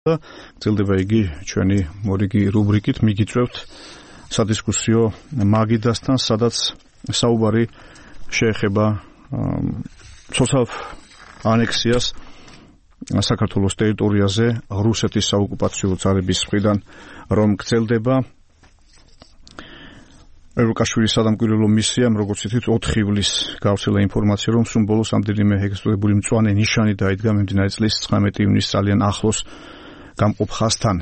გრძელდება იგი ჩვენი მორიგი რუბრიკით მიგიწევთ სადისკუსიო მაგიდასთან, სადაც საუბარი შეეხება ცოცხალ ანექსიას საქართველოს ტერიტორიაზე რუსეთის საოკუპაციო ძალების მხრიდან რომ გრძელდება. ევროკავშირის სადამკვირვებლო მისიამ, როგორც ითქვით, 4 ივლისს გავრცელა ინფორმაცია, რომ სულ ბოლოს ამდენიმე ეგრეთწოდებული მწვანე ნიშანი დაიდგა მიმდინარე წლის 19 ივნისს ძალიან ახლოს გამყოფ ხაზთან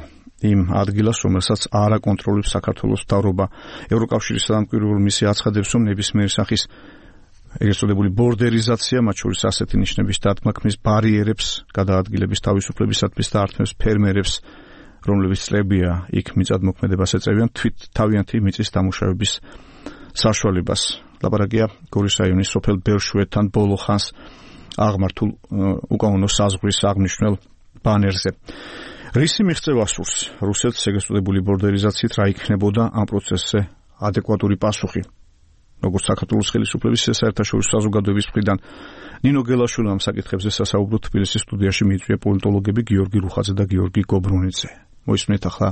იმ ადგილას, რომელსაც არ აკონტროლებს საქართველოს მთავრობა. ევროკავშირის სადამკვირვებლო მისია აცხადებს, რომ ნებისმიერი სახის ეგრეთწოდებული ბორდერიზაცია, მათ შორის ასეთი ნიშნების დადგმა ქმნის ბარიერებს გადაადგილების თავისუფლებისათვის და ართმევს ფერმერებს, რომლებიც წლებია იქ მიწადმოქმედებას ეწევიან, თავიანთი მიწის დამუშავების საშუალებას. ლაპარაკია გორის რაიონის სოფელ ბერშვეთთან ბოლო ხანს აღმართულ უკანონო საზღვრის აღმნიშვნელ ბანერზე. რისი მიღწევა სურს რუსეთს ეგრეთწოდებული ბორდერიზაციით, რა იქნებოდა ამ პროცესზე ადეკვატური პასუხი? როგორც საქართველოს ხელისუფლების საერთაშორისო საზოგადოების მხრიდან ნინო გელაშვილი ამ საკითხებზე სასაუბროთ თბილისის სტუდიაში მიიწვია პოლიტოლოგები გიორგი რუხაძე და გიორგი გობრუნიძე. მოისმენთ ახლა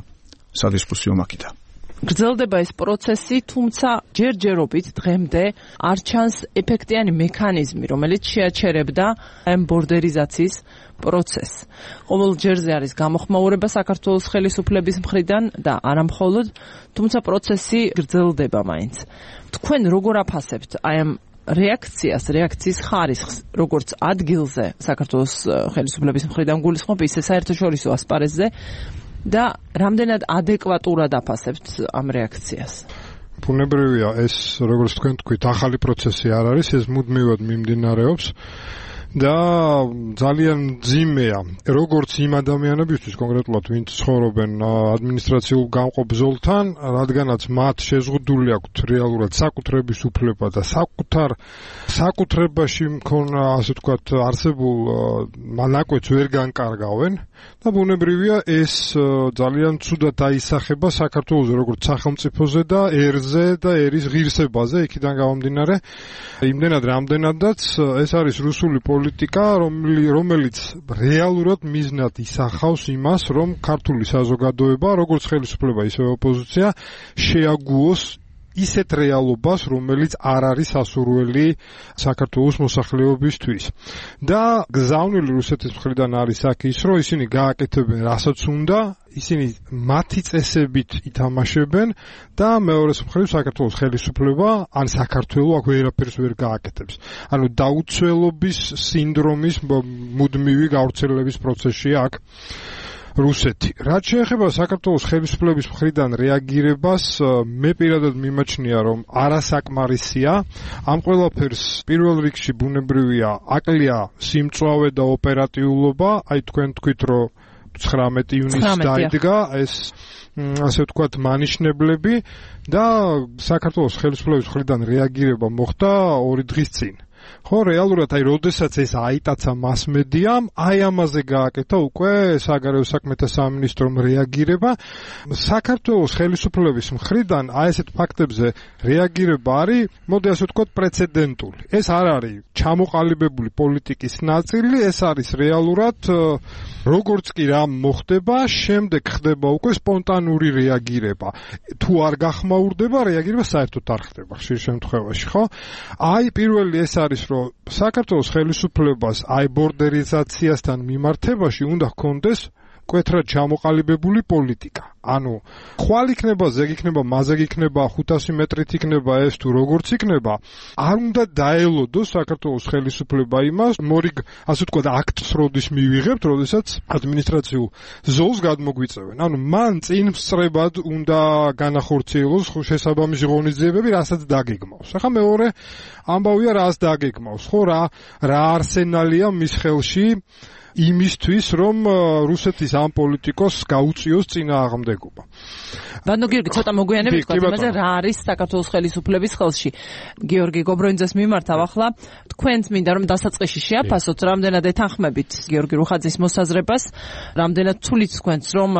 სადისკუსიო მაგიდა. გრძელდება ეს პროცესი, თუმცა ჯერჯერობით დღემდე არ ჩანს ეფექტიანი მექანიზმი, რომელიც შეაჩერებდა ამ ბორდერიზაციის პროცესს. ყოველ ჯერზე არის გამოხმაურება საქართველოს ხელისუფლების მხრიდან და არა მხოლოდ, თუმცა პროცესი გრძელდება მაინც. თქვენ როგორ აფასებთ აი ამ რეაქციის ხარისხს, როგორც ადგილზე საქართველოს ხელისუფლების მხრიდან გულისხმობ, ისე საერთაშორისო ასპარეზზე და რამდენად ადეკვატურად აფასებთ ამ რეაქციას? ბუნებრივია, ეს როგორც თქვენ თქვით, ახალი პროცესი არ არის, ეს მუდმივად მიმდინარეობს და ძალიან ძიმეა, როგორც იმ ადამიანებისთვის კონკრეტულად, ვინც ცხოვრობენ ადმინისტრაციულ გამყოფ ზოლთან, რადგანაც მათ შეზღუდული აქვთ რეალურად საკუთრების უფლება და საკუთრებაში მქონე, ასე ვთქვათ, არსებულ ნაკვეთს ვერ განკარგავენ და ბუნებრივია, ეს ძალიან ცუდად აისახება საქართველოს როგორც სახელმწიფოზე და ერზე და ერის ღირსებაზე, იქიდან გამომდინარე, იმდენად რამდენადაც ეს არის რუსული პოლიტიკა, რომელიც რეალურად მიზნად ისახავს იმას, რომ ქართული საზოგადოება, როგორც ხელისუფლება, ისე ოპოზიცია, შეაგუოს ისეთ რეალობას, რომელიც არ არის სასურველი საქართველოს მოსახლეობისთვის. და გზავნილი რუსეთის მხრიდან არის აქ ის, რომ ისინი გააკეთებენ რასაც უნდა, ისინი მათი წესებით ითამაშებენ და მეორეს მხრივ საქართველოს ხელისუფლება ან საქართველო აქ ვერაფერს ვერ გააკეთებს. ანუ დაუცველობის სინდრომის მუდმივი გავრცელების პროცესია აქ რუსეთი. რაც შეეხება საქართველოს ხელისუფლების მხრიდან რეაგირებას, მე პირადად მიმაჩნია, რომ არასაკმარისია. ამ ყველაფერს პირველ რიგში ბუნებრივია აკლია სიმწვავე და ოპერატიულობა, აი თქვენ თქვით, რომ 19 ივნისს დაიდგა ეს ასე ვთქვათ მანიშნებლები და საქართველოს ხელისუფლების მხრიდან რეაგირება მოხდა 2 დღის წინ. ხო, რეალურად აი როდესაც ეს აიტაცა მასმედიამ, აი ამაზე გააკეთა უკვე საგარეო საქმეთა სამინისტრომ რეაგირება. საქართველოს ხელისუფლების მხრიდან აი ესეთ ფაქტებზე რეაგირება არის, მოდი ასე ვთქვათ, პრეცედენტული. ეს არ არის ჩამოყალიბებული პოლიტიკის ნაწილი, ეს არის რეალურად როგორც კი რა მოხდება, შემდეგ ხდება უკვე სპონტანური რეაგირება. თუ არ გახმაურდება, რეაგირება საერთოდ არ ხდება ხშირ შემთხვევაში, ხო? აი პირველი ეს არის, რომ საქართველოს ხელისუფლებას აი ბორდერიზაციასთან მიმართებაში უნდა ჰქონდეს მკვეთრად ჩამოყალიბებული პოლიტიკა. ანუ ხვალ იქნება, ზეგ იქნება, მაზეგ იქნება, 500 მეტრით იქნება ეს თუ როგორც იქნება, არ უნდა დაელოდოს საქართველოს ხელისუფლება იმას, მორიგ, ასე ვთქვათ, აქტს როდის მივიღებთ, როდესაც ადმინისტრაციულ ზოლს გადმოგვიწევენ. ანუ მან წინ სწრებად უნდა განახორციელოს შესაბამისი ღონისძიებები, რასაც დაგეგმავს. ახლა მეორე ამბავია, რას დაგეგმავს, ხო, რა არსენალია მის ხელში იმისთვის, რომ რუსეთის ამ პოლიტიკოს გაუწიოს წინააღმდეგობა. ბანო გიორგი, ცოტა მოგვიანებით თქვა იმაზე, რა არის საქართველოს ხელისუფლების ხელში. გიორგი გობრონიძეს მიმართავ ახლა, თქვენც მინდა რომ დასაწყისში შეაფასოთ, რამდენად ეთანხმებით გიორგი რუხაძის მოსაზრებას, რამდენად თulit თქვენც, რომ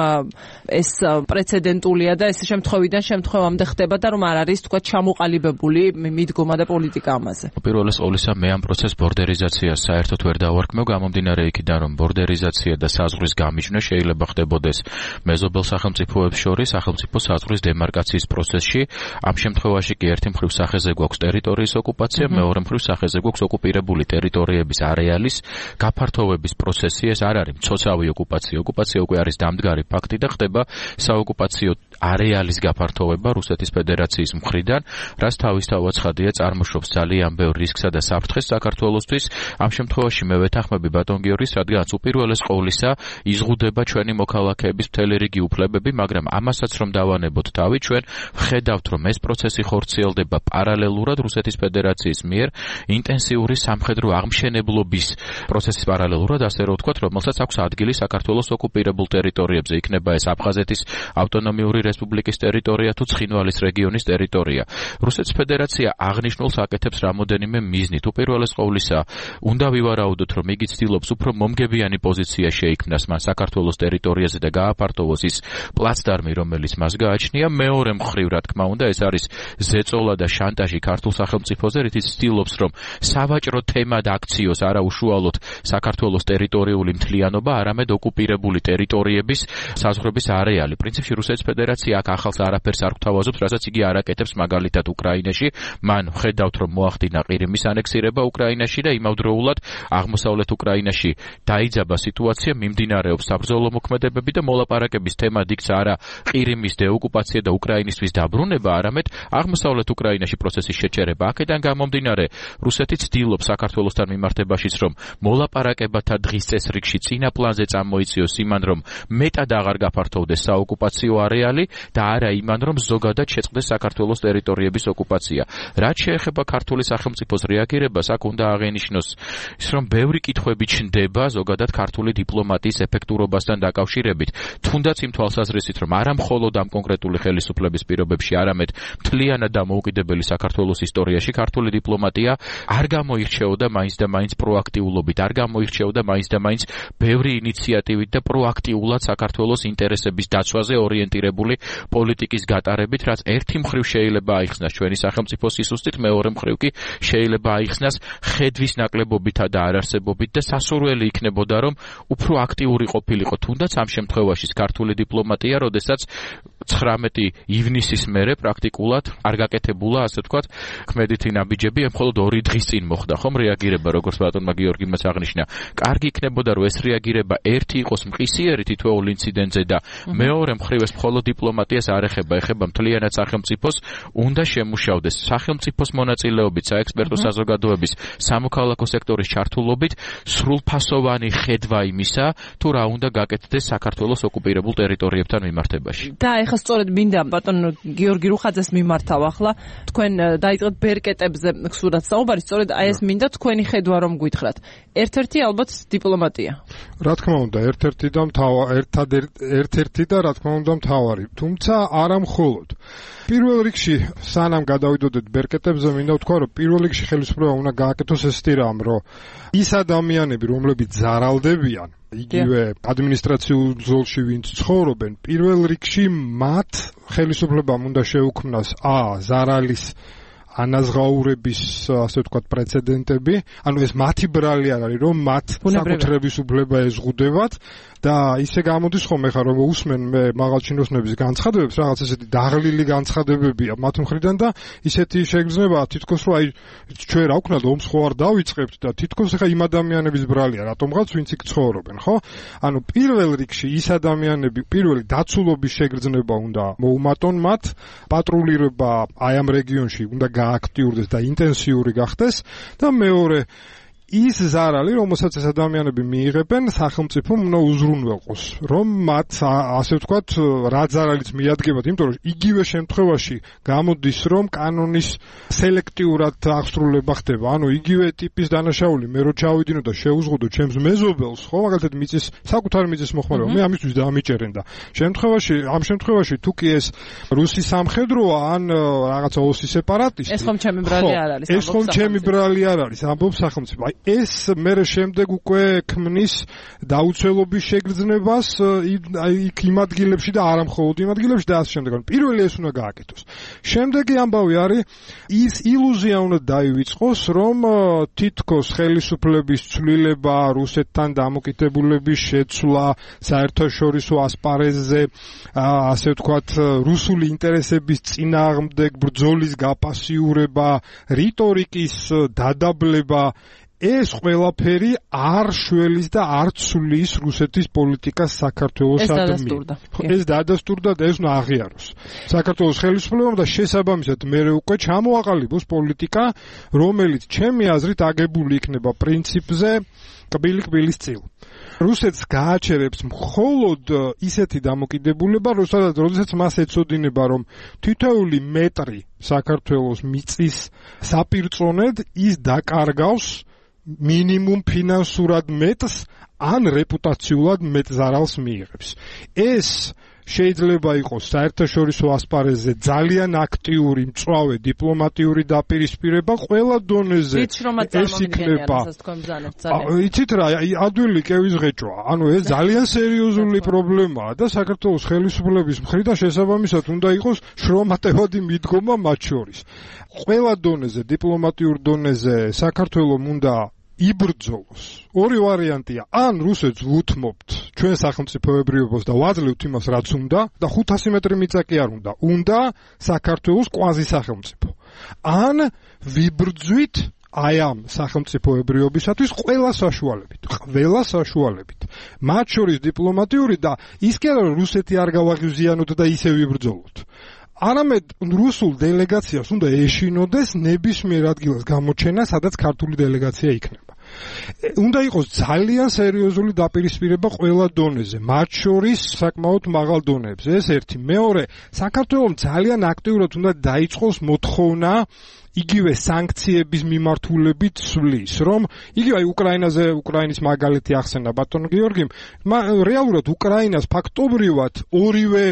ეს პრეცედენტულია და ეს შემთხვევიდან შემთხვევამდე ხდება და რომ არ არის თქვა ჩამოყალიბებული მიდგომა და პოლიტიკა ამაზე. პირველ ყოვლისა მე ამ პროცესს ბორდერიზაციას საერთოდ ვერ დავარქმევ, გამომდინარე იქიდან, რომ რომ ბორდერიზაცია და საზღვრის გამიჯვნა შეიძლება ხდებოდეს მეზობელ სახელმწიფოებს შორის სახელმწიფო საზღვრის დემარკაციის პროცესში. ამ შემთხვევაში კი ერთი მხრივ სახეზე გვაქვს ტერიტორიის ოკუპაცია, მეორე მხრივ სახეზე გვაქვს ოკუპირებული ტერიტორიების არეალის გაფართოვების პროცესი. ეს არ არის მცოცავი ოკუპაცია. ოკუპაცია უკვე არის დამდგარი ფაქტი და ხდება საოკუპაციო არეალის გაფართოვება რუსეთის ფედერაციის მხრიდან, რაც თავისთავად ცხადია წარმოშობს ძალიან ბევრ რისკსა და საფრთხეს საქართველოსთვის. ამ შემთხვევაში მე ვეთანხმები ბატონ გიორგის, რადგანაც უპირველეს ყოვლისა იზღუდება ჩვენი მოქალაქეების მთელი რიგი უფლებები, მაგრამ ამასაც რომ დავანებოთ თავი, ჩვენ ვხედავთ, რომ ეს პროცესი ხორციელდება პარალელურად რუსეთის ფედერაციის მიერ ინტენსიური სამხედრო აღმშენებლობის პროცესის პარალელურად, ასე რომ ვთქვათ, რომელსაც აქვს ადგილი საქართველოს ოკუპირებულ ტერიტორიებზე, იქნება ეს აფხაზეთის ავტონომიური რესპუბლიკის ტერიტორია თუ ცხინვალის რეგიონის ტერიტორია. რუსეთის ფედერაცია აღნიშნულს აკეთებს რამოდენიმე მიზნით. უპირველეს ყოვლისა, უნდა ვივარაუდოთ, რომ იგი ცდილობს უფრო მომგებიანი პოზიცია შეიქმნას მან საქართველოს ტერიტორიაზე და გააფართოვოს ის პლაცდარმი, რომელიც მას გააჩნია. მეორე მხრივ, რა თქმა უნდა, ეს არის ზეწოლა და შანტაჟი ქართულ სახელმწიფოზე, რითიც ცდილობს, რომ სავაჭრო თემად აქციოს არა უშუალოდ საქართველოს ტერიტორიული მთლიანობა, არამედ ოკუპირებული ტერიტორიების საზღვრების არეალი. პრინციპში რუსეთის ფედერაცია აქ ახალს არაფერს არ გვთავაზობს, რასაც იგი არ აკეთებს მაგალითად უკრაინაში. მან ხედავთ, რომ მოახდინა ყირიმის ანექსირება უკრაინაში და იმავდროულად აღმოსავლეთ უკრაინაში დაიძაბა სიტუაცია, მიმდინარეობს საბრძოლო მოქმედებები და მოლაპარაკების თემად იქცა არა ყირიმის დეოკუპაცია და უკრაინისთვის დაბრუნება, არამედ აღმოსავლეთ უკრაინაში პროცესის შეჩერება. აქედან გამომდინარე, რუსეთი ცდილობს საქართველოსთან მიმართებაშიც, რომ მოლაპარაკებათა დღის წესრიგში წინა პლანზე წამოიციოს იმან, რომ მეტად აღარ გაფართოვდეს საოკუპაციო არეალი და არა იმან, რომ ზოგადად შეწყდეს საქართველოს ტერიტორიების ოკუპაცია. რაც შეეხება ქართული სახელმწიფოს რეაგირებას, აქ უნდა აღენიშნოს ის, რომ ბევრი კითხვები ჩნდება ზოგადად ქართული დიპლომატიის ეფექტურობასთან დაკავშირებით. თუნდაც იმ თვალსაზრისით, რომ არა მხოლოდ ამ კონკრეტული ხელისუფლების პირობებში, არამედ მთლიანად დამოუკიდებელი საქართველოს ისტორიაში ქართული დიპლომატია არ გამოირჩეოდა მაინც და მაინც პროაქტიულობით, არ გამოირჩეოდა მაინც და მაინც ბევრი ინიციატივით და პროაქტიულად საქართველოს ინტერესების დაცვაზე ორიენტირებული პოლიტიკის გატარებით, რაც ერთი მხრივ შეიძლება აიხსნას ჩვენი სახელმწიფოს სისუსტით, მეორე მხრივ კი შეიძლება აიხსნას ხედვის ნაკლებობითა და არარსებობით და სასურველი იქნებოდა, რომ უფრო აქტიური ყოფილიყო თუნდაც ამ შემთხვევაში ქართული დიპლომატია, როდესაც 19 ივნისის მერე პრაქტიკულად არ გაკეთებულა, ასე ვთქვათ, ქმედითი ნაბიჯები, მხოლოდ 2 დღის წინ მოხდა ხომ რეაგირება, როგორც ბატონმა გიორგიმაც აღნიშნა. კარგი იქნებოდა, რომ ეს რეაგირება ერთი იყოს მყისიერი თითოეულ ინციდენტზე და მეორე მხრივ ეს მხოლოდ დიპლომატიას არ ეხება, ეხება მთლიანად სახელმწიფოს, უნდა შემუშავდეს სახელმწიფოს მონაწილეობით, საექსპერტო საზოგადოების, სამოქალაქო სექტორის ჩართულობით სრულფასოვანი ხედვა იმისა, თუ რა უნდა გაკეთდეს საქართველოს ოკუპირებულ ტერიტორიებთან მიმართებაში. და ეხლა სწორედ მინდა ბატონ გიორგი რუხაძეს მიმართავ ახლა. თქვენ დაიწყეთ ბერკეტებზე ხსურათ საუბარი, სწორედ აი ეს მინდა თქვენი ხედვა რომ გითხრათ. ერთ-ერთი ალბათ დიპლომატია. რა თქმა უნდა, ერთ-ერთი და რა თქმა უნდა მთავარი. თუმცა არა მხოლოდ. პირველ რიგში, სანამ გადავიდოდეთ ბერკეტებზე, მინდა ვთქვა, რომ პირველ რიგში ხელისუფლება უნდა გააკეთოს ესეთი რამ, რომ ის ადამიანები, რომლებიც ზარალდებიან იგივე ადმინისტრაციულ ზოლში ვინც ცხოვრობენ, პირველ რიგში მათ ხელისუფლებამ უნდა შეუქმნას ზარალის ანაზღაურების, ასე ვთქვათ, პრეცედენტები, ანუ ეს მათი ბრალი არ არის, რომ მათ საკუთრების უფლება ეზღუდებათ და ისე გამოდის ხოლმე ხა რომ უსმენ მე მაღალჩინოსნების განცხადებებს, რაღაც ესეთი დაღლილი განცხადებებია მათ მხრიდან და ისეთი შეგრძნება თითქოს რომ აი ჩვენ რა ვქნათ ომს ხო არ დავიწყებთ და თითქოს ხა იმ ადამიანების ბრალია რატომღაც ვინც იქ ცხოვრობენ, ხო? ანუ პირველ რიგში ის ადამიანები პირველი დაცულობის შეგრძნება უნდა მოუმატონ მათ, პატრულირება აი ამ რეგიონში უნდა გააქტიურდეს და ინტენსიური გახდეს და მეორე ის ზარალი, რომელსაც ეს ადამიანები მიიღებენ, სახელმწიფომ უნდა უზრუნველყოს, რომ მათ, ასე ვთქვათ, რა ზარალიც მიადგებათ, იმიტომ რომ იგივე შემთხვევაში გამოდის, რომ კანონის სელექტიურად აღსრულება ხდება, ანუ იგივე ტიპის დანაშაული, მე რო ჩავიდინო და შეუზღუდო ჩემს მეზობელს, ხო, მაგალითად მიწის, საკუთარი მიწის მოხმარება, მე ამისთვის დაამიჭერენ და ამ შემთხვევაში თუ კი ეს რუსი სამხედროა, ან რაღაცა ოსი სეპარატისტი, ეს ხომ ჩემი ბრალი არ არის, ეს ხომ ჩემი ბრალი არ არის, ამბობს სახელმწიფო. ეს მე შემდეგ უკვე ქმნის დაუცველობის შეგრძნებას იქ იმ ადგილებში და არა მხოლოდ იმ ადგილებში და ასე შემდეგ. პირველი ეს უნდა გააკეთოს. შემდეგი ამბავი არის ის ილუზია უნდა დაივიწყოს, რომ თითქოს ხელისუფლების ცვლილება, რუსეთთან დამოკიდებულების შეცვლა, საერთაშორისო ასპარეზზე, ასე ვთქვათ, რუსული ინტერესების წინააღმდეგ ბრძოლის გაპასიურება, რიტორიკის დადაბლება, ეს ყველაფერი არ შველის და არ ცვლის რუსეთის პოლიტიკას საქართველოსადმი. ეს დადასტურდა და ეს უნდა აღიაროს. საქართველოს ხელისუფლებამ და შესაბამისად მერე უკვე ჩამოაყალიბოს პოლიტიკა, რომელიც ჩემი აზრით აგებული იქნება პრინციპზე კბილი-კბილის წილ. რუსეთს გააჩერებს მხოლოდ ისეთი დამოკიდებულება, როდესაც მას ეცოდინება, რომ თითოეული მეტრი საქართველოს მიწის საპირწონედ ის დაკარგავს მინიმუმ ფინანსურად მეტს ან რეპუტაციულად მეტ ზარალს მიიღებს. ეს შეიძლება იყოს საერთაშორისო ასპარეზზე ძალიან აქტიური, მწვავე დიპლომატიური დაპირისპირება ყველა დონეზე. ეს იქნება. იცით რა, ადვილი კევის ღეჭვა. ანუ ეს ძალიან სერიოზული პრობლემაა და საქართველოს ხელისუფლების მხრიდან შესაბამისად უნდა იყოს შრომატევადი მიდგომა მათ შორის. ყველა დონეზე, დიპლომატიურ დონეზე საქართველოს უნდა იბრძოლოს. ორი ვარიანტია: ან რუსეთს ვუთმობთ ჩვენ სახელმწიფოებრიობას და ვაძლევთ იმას, რაც უნდა და 500 მეტრი მიწა კი არ უნდა. უნდა საქართველოს კვაზი სახელმწიფო. ან ვიბრძვით აი ამ სახელმწიფოებრიობისათვის ყველა საშუალებით. მათ შორის დიპლომატიური და ის კი არა რომ რუსეთი არ გავაღიზიანოთ და ისე ვიბრძოლოთ. არამედ რუსულ დელეგაციას უნდა ეშინოდეს ნებისმიერ ადგილას გამოჩენა, სადაც ქართული დელეგაცია იქნება. უნდა იყოს ძალიან სერიოზული დაპირისპირება ყველა დონეზე, მათ შორის საკმაოდ მაღალ დონეებზე. ეს ერთი. მეორე, საქართველოს ძალიან აქტიურად უნდა დაიწყოს მოთხოვნა იგივე სანქციების მიმართულებით სვლის, რომ იგივე უკრაინის მაგალითი ახსენა ბატონ გიორგიმ, რეალურად უკრაინას ფაქტობრივად ორივე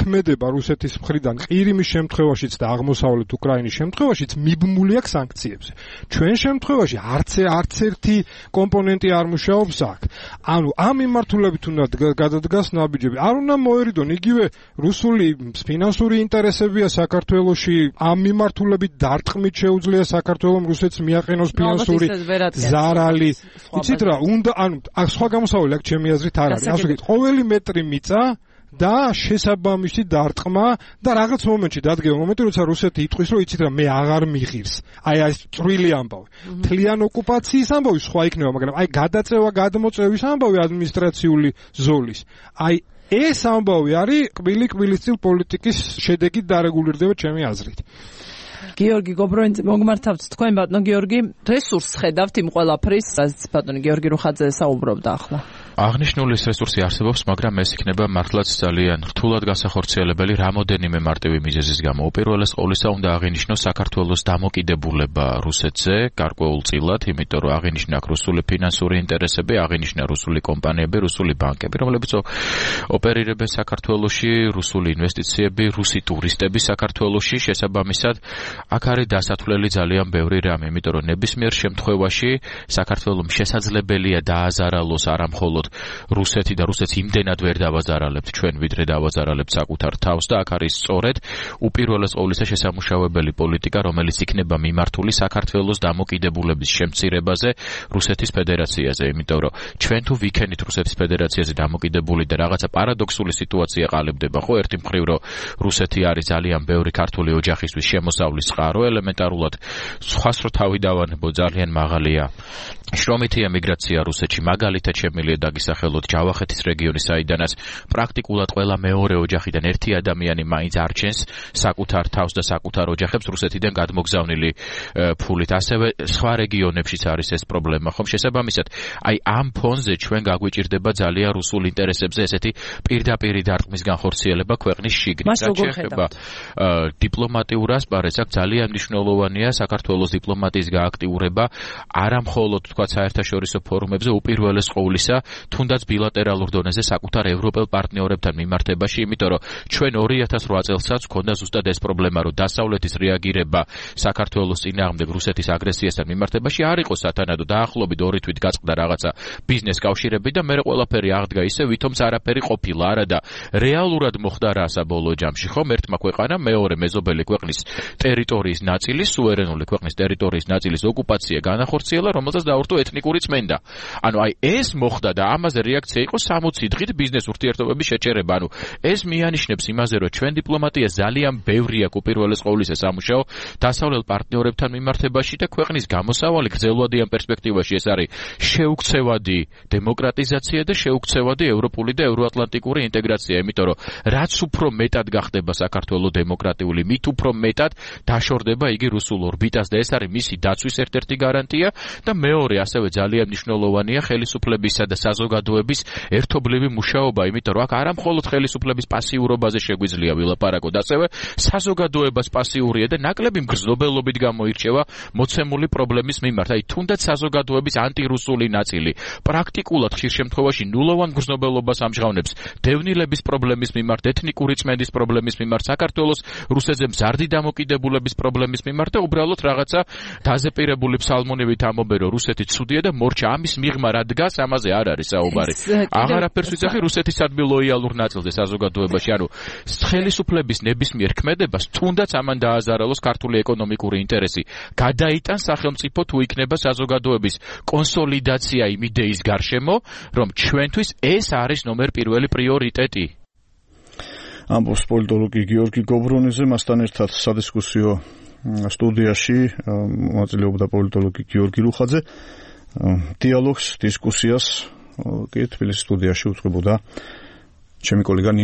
ქმედება რუსეთის მხრიდან ყირიმის შემთხვევაშიც და აღმოსავლეთ უკრაინის შემთხვევაშიც მიბმული აქვს სანქციებზე. ჩვენ შემთხვევაში არც ერთი კომპონენტი არ მუშაობს აქ. ანუ ამ მიმართულებით უნდა გადადგას ნაბიჯები. არ უნდა მოერიდონ იგივე რუსული ფინანსური ინტერესებია საქართველოში ამ მიმართულებით დარტყმით შეუძლია საქართველოს რუსეთს მიაყენოს ფინანსური ზარალი. იცით რა, უნდა ანუ სხვა გამოსავალი აქ ჩემი აზრით არ არის. ასე ვთქვით, ყოველი მეტრი მიწა და შესაბამისი დარტყმა და რაღაც მომენტში დადგება მომენტი, როცა რუსეთი იტყვის, რომ იცით რა, მე აღარ მიღირს. აი ეს წვრილი ამბავი. მთლიან ოკუპაციის ამბავი სხვა იქნება, მაგრამ აი გადაწევა, გადმოწევის ამბავი ადმინისტრაციული ზოლის. აი ეს ამბავი არის კბილი-კბილის წილ პოლიტიკის შედეგით დარეგულირდება ჩემი აზრით. გიორგი გობროინძე მოგმართავთ თქვენ ბატონო გიორგი, რესურსს ხედავთ იმ ყველაფრის, რაც ბატონი გიორგი რუხაძე საუბრობდა ახლა. აღნიშნული რესურსი არსებობს, მაგრამ ეს იქნება მართლაც ძალიან რთულად გასახორციელებელი რამოდენიმე მარტივი მიზეზის გამო. უპირველეს ყოვლისა უნდა აღინიშნოს საქართველოს დამოკიდებულება რუსეთზე გარკვეულწილად, იმიტომ რომ აღინიშნა რუსული ფინანსური ინტერესები, აღინიშნა რუსული კომპანიები, რუსული ბანკები, რომლებიც ოპერირებენ საქართველოში, რუსული ინვესტიციები, რუსი ტურისტები საქართველოში, შესაბამისად აქ არის დასათვლელი ძალიან ბევრი რამ, იმიტომ რომ ნებისმიერ შემთხვევაში საქართველოს შესაძლებელია დააზარალოს არა მხოლოდ რუსეთი და რუსეთს იმდენად ვერ დავაზარალებთ ჩვენ, ვიდრე დავაზარალებთ საკუთარ თავს და აქ არის სწორედ უპირველეს ყოვლისა შესამუშავებელი პოლიტიკა, რომელიც იქნება მიმართული საქართველოს დამოკიდებულების შემცირებაზე რუსეთის ფედერაციაზე, იმიტომ რომ ჩვენ თუ ვიქენით რუსეთის ფედერაციაზე დამოკიდებული და რაღაცა პარადოქსული სიტუაცია ყალიბდება, ხო, ერთი მხრივ რომ რუსეთი არის ძალიან ბევრი ქართული ოჯახისთვის შემოსავლის წყარო, ელემენტარულად სხვას რო თავი დავანებო ძალიან მაღალია შრომითი ემიგრაცია რუსეთში, მაგალითად შემიძლია დაგისახელოთ ჯავახეთის რეგიონის, საიდანაც პრაქტიკულად ყველა მეორე ოჯახიდან ერთი ადამიანი მაინც არჩენს საკუთარ თავს და საკუთარ ოჯახებს რუსეთიდან გადმოგზავნილი ფულით. ასევე სხვა რეგიონებშიც არის ეს პრობლემა, ხომ? შესაბამისად, აი ამ ფონზე ჩვენ გაგვიჭირდება ძალიან რუსულ ინტერესებზე ესეთი პირდაპირი დარტყმის განხორციელება ქვეყნის შიგნით. რაც შეეხება დიპლომატიურ ასპარეზს, აქ ძალიან მნიშვნელოვანია საქართველოს დიპლომატიის გააქტიურება, არა მხოლოდ სხვა საერთაშორისო ფორუმებზე უპირველეს ყოვლისა თუნდაც ბილატერალურ დონეზე საკუთარ ევროპელ პარტნიორებთან მიმართებაში, იმიტომ რომ ჩვენ 2008 წელსაც ქონდა ზუსტად ეს პრობლემა, რომ დასავლეთის რეაგირება საქართველოს წინააღმდეგ რუსეთის აგრესიასთან მიმართებაში არ იყო სათანადო, დაახლოებით 2 თვით გაწყდა რაღაცა ბიზნეს კავშირები და მე ყველაფერი აღდგა ისე, ვითომც არაფერი ყოფილა, არა და რეალურად მოხდა რა საბოლოო ჯამში, ხომ ერთმა ქვეყანამ მეორე მეზობელი ქვეყნის ტერიტორიის ნაწილის, სუვერენული ქვეყნის ტერიტორიის ნაწილის ოკუპაცია განახორციელა, რომელსაც დაურთო ეთნიკური წმენდა. ანუ აი ეს მოხდა და ამაზე რეაქცია იყო 60 დღით ბიზნეს ურთიერთობების შეჩერება. ანუ ეს მიანიშნებს იმაზე, რომ ჩვენ დიპლომატია ძალიან ბევრი აქვს უპირველეს ყოვლისა სამუშაო დასავლელ პარტნიორებთან მიმართებაში და ქვეყნის გამოსავალი გრძელვადიან პერსპექტივაში ეს არის შეუქცევადი დემოკრატიზაცია და შეუქცევადი ევროპული და ევროატლანტიკური ინტეგრაცია, იმიტომ რომ რაც უფრო მეტად გახდება საქართველოს დემოკრატიული, მით უფრო მეტად დაშორდება იგი რუსულ ორბიტას და ეს არის მისი დაცვის ერთ-ერთი გარანტია და მეორე ასევე ძალიან მნიშვნელოვანია ხელისუფლებისა და საზოგადოების ერთობლივი მუშაობა, იმიტომ რომ აქ არა მხოლოდ ხელისუფლების პასიურობაზე შეგვიძლია ვილაპარაკოთ, ასევე საზოგადოებას პასიურია და ნაკლები მგრძნობელობით გამოირჩევა მოცემული პრობლემის მიმართ. აი თუნდაც საზოგადოების ანტირუსული ნაწილი პრაქტიკულად ხშირ შემთხვევაში ნულოვან მგრძნობელობას ამჟღავნებს დევნილების პრობლემის მიმართ, ეთნიკური წმენდის პრობლემის მიმართ, საქართველოს რუსეთზე მზარდი დამოკიდებულების პრობლემის მიმართ და უბრალოდ რაღაცა დაზეპირებული ფსალმუნივით ამობენ, რომ რუსეთი ცუდია და მორჩა ამის მიღმა რა დგას, ამაზე არ არის საუბარი. აღარაფერს ვიცახი რუსეთის ადმი ლოიალურ ნაწილზე საზოგადოებაში, ანუ ხელისუფლების ნებისმიერ ქმედებას თუნდაც ამან დააზარალოს ქართული ეკონომიკური ინტერესი. გადაიტან სახელმწიფო თუ იქნება საზოგადოების კონსოლიდაცია იმ იდეის გარშემო, რომ ჩვენთვის ეს არის ნომერ პირველი პრიორიტეტი. ამბობს პოლიტოლოგი გიორგი გობრონიძე, მასთან ერთად სადისკუსიო სტუდიაში მონაწილეობდა პოლიტოლოგი გიორგი რუხაძე. დიალოგს, დისკუსიას კი თბილისის სტუდიაში უწყებოდა ჩემი კოლეგა ნინო